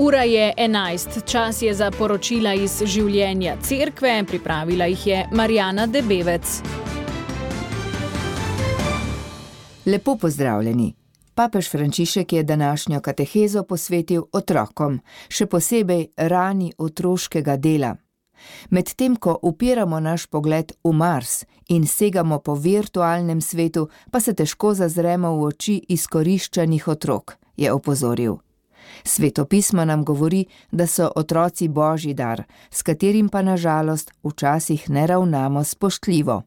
Ura je 11, čas je za poročila iz življenja cerkve, pripravila jih je Marjana Debevec. Lepo pozdravljeni. Papež Frančišek je današnjo katehezo posvetil otrokom, še posebej rani otroškega dela. Medtem ko upiramo naš pogled v Mars in segamo po virtualnem svetu, pa se težko zazremo v oči izkoriščanih otrok, je opozoril. Sveto pismo nam govori, da so otroci božji dar, s katerim pa na žalost včasih ne ravnamo spoštljivo.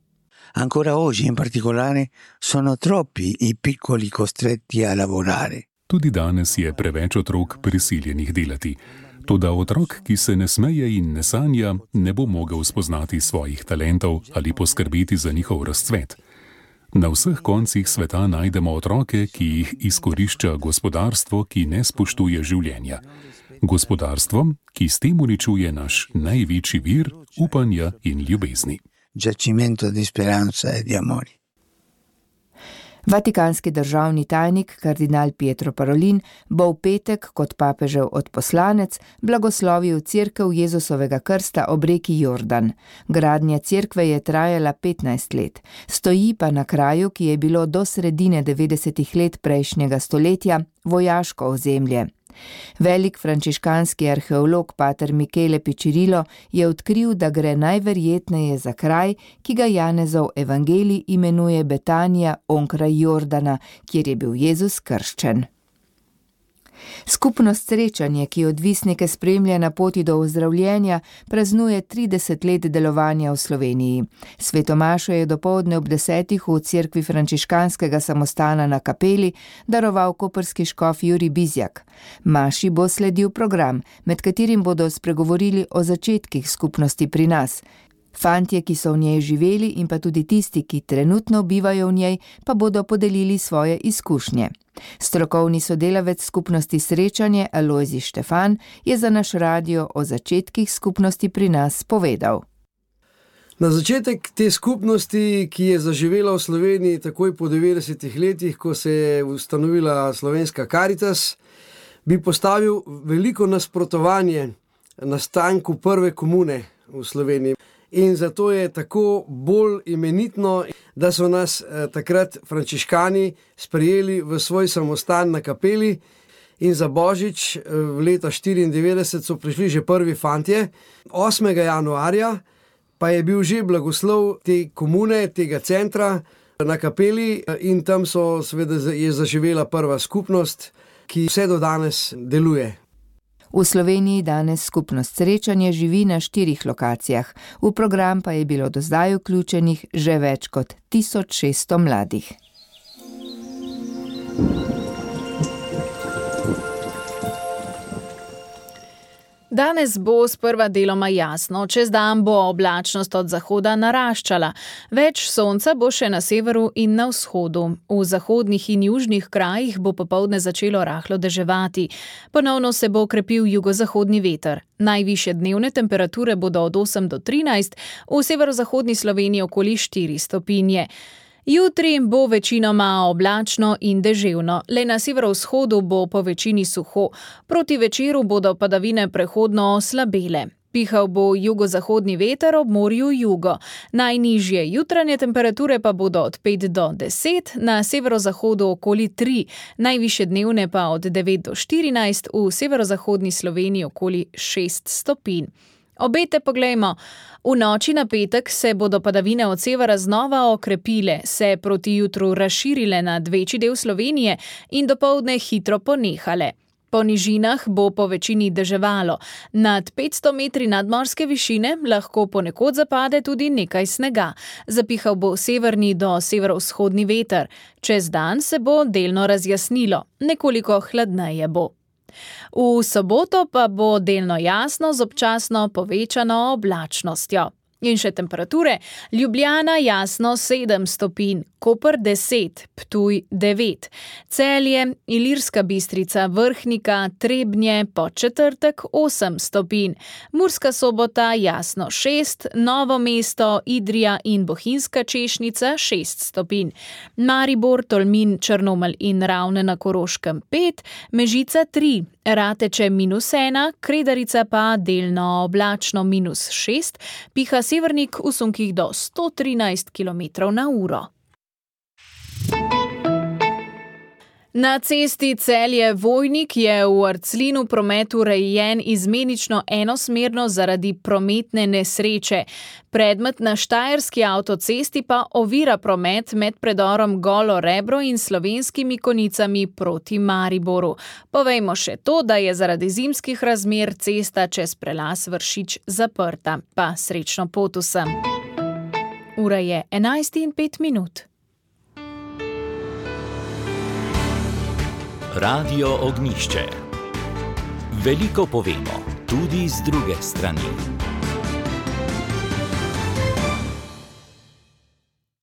Ancora oggi in particolare sono troppi i piccoli costretti a lavorare. Tudi danes je preveč otrok prisiljenih delati. Toda otrok, ki se ne smeje in ne sanja, ne bo mogel spoznati svojih talentov ali poskrbeti za njihov razcvet. Na vseh koncih sveta najdemo otroke, ki jih izkorišča gospodarstvo, ki ne spoštuje življenja. Gospodarstvo, ki s tem uničuje naš največji vir upanja in ljubezni. Giacimento di speranza e di amore. Vatikanski državni tajnik kardinal Pietro Parolin bo v petek kot papežev odposlanec blagoslovil cerkev Jezusovega krsta ob reki Jordan. Gradnja cerkve je trajala 15 let. Stoji pa na kraju, ki je bilo do sredine 90. let prejšnjega stoletja vojaško ozemlje. Velik frančiškanski arheolog pater Michele Piccirilo je odkril, da gre najverjetneje za kraj, ki ga Janezov evangelij imenuje Betanija onkraj Jordana, kjer je bil Jezus krščen. Skupnost Srečanje, ki odvisnike spremlja na poti do ozdravljenja, praznuje 30 let delovanja v Sloveniji. Svetomašo je dopoldne ob 10. v cerkvi frančiškanskega samostana na Kapeli daroval koprski škof Jurij Bizjak. Maši bo sledil program, med katerim bodo spregovorili o začetkih skupnosti pri nas. Fantje, ki so v njej živeli, in pa tudi tisti, ki trenutno bivajo v njej, pa bodo podelili svoje izkušnje. Strokovni sodelavec skupnosti Srečanje Alojzij Štefan je za naš radio o začetkih skupnosti pri nas povedal. Na začetek te skupnosti, ki je zaživela v Sloveniji takoj po 90 letih, ko se je ustanovila slovenska Karitas, bi postavil veliko nasprotovanje nastanku prve komune v Sloveniji. In zato je tako bolj imenitno, da so nas takrat frančiškani sprejeli v svoj samostan na Kapeli in za Božič v leta 94 so prišli že prvi fantje. 8. januarja pa je bil že blagoslov te komune, tega centra na Kapeli in tam je zaživela prva skupnost, ki vse do danes deluje. V Sloveniji danes skupnost Srečanje živi na 4 lokacijah, v program pa je bilo do zdaj vključenih že več kot 1600 mladih. Danes bo sprva deloma jasno, čez dan bo oblačnost od zahoda naraščala. Več sonca bo še na severu in na vzhodu. V zahodnih in južnih krajih bo popoldne začelo rahlo deževati. Ponovno se bo okrepil jugozahodni veter. Najvišje dnevne temperature bodo od 8 do 13, v severozahodni Sloveniji okoli 4 stopinje. Jutri bo večinoma oblačno in deževno, le na severovzhodu bo po večini suho. Proti večeru bodo padavine prehodno oslabele. Pihal bo jugozahodni veter ob morju jugo. Najnižje jutranje temperature pa bodo od 5 do 10, na severozahodu okoli 3, najvišje dnevne pa od 9 do 14, v severozahodni Sloveniji okoli 6 stopinj. Obete poglejmo. V noči na petek se bodo padavine od severa znova okrepile, se proti jutru razširile nad večji del Slovenije in dopoldne hitro ponehale. Po nižinah bo po večini deževalo. Nad 500 metri nadmorske višine lahko ponekod zapade tudi nekaj snega. Zapihal bo severni do severovzhodni veter. Čez dan se bo delno razjasnilo, nekoliko hladneje bo. V soboto pa bo delno jasno z občasno povečano oblačnostjo. In še temperature. Ljubljana jasno 7 stopinj, Koper 10, Ptuj 9, Celje, Ilirska Bistrica, Vrhnika, Trebnje, Podčetrtek 8 stopinj, Murska Sobota jasno 6, Novo mesto, Idrija in Bohinjska Češnica 6 stopinj, Maribor, Tolmin, Črnomelj in Ravne na Koroškem 5, Mežica 3, Rateče -1, Kredarica pa delno oblačno -6, piha severnik v sunkih do 113 km/h. Na cesti Celje-Vojnik je v Arclinu promet urejen izmenično enosmerno zaradi prometne nesreče. Predmet na štajerski avtocesti pa ovira promet med predorom Golo Rebro in Slovenskimi Konicami proti Mariboru. Povejmo še to, da je zaradi zimskih razmer cesta čez prelaz Vršič zaprta. Pa srečno pot vsem. Ura je 11:05. Radio Ognjišče. Veliko povemo, tudi z druge strani.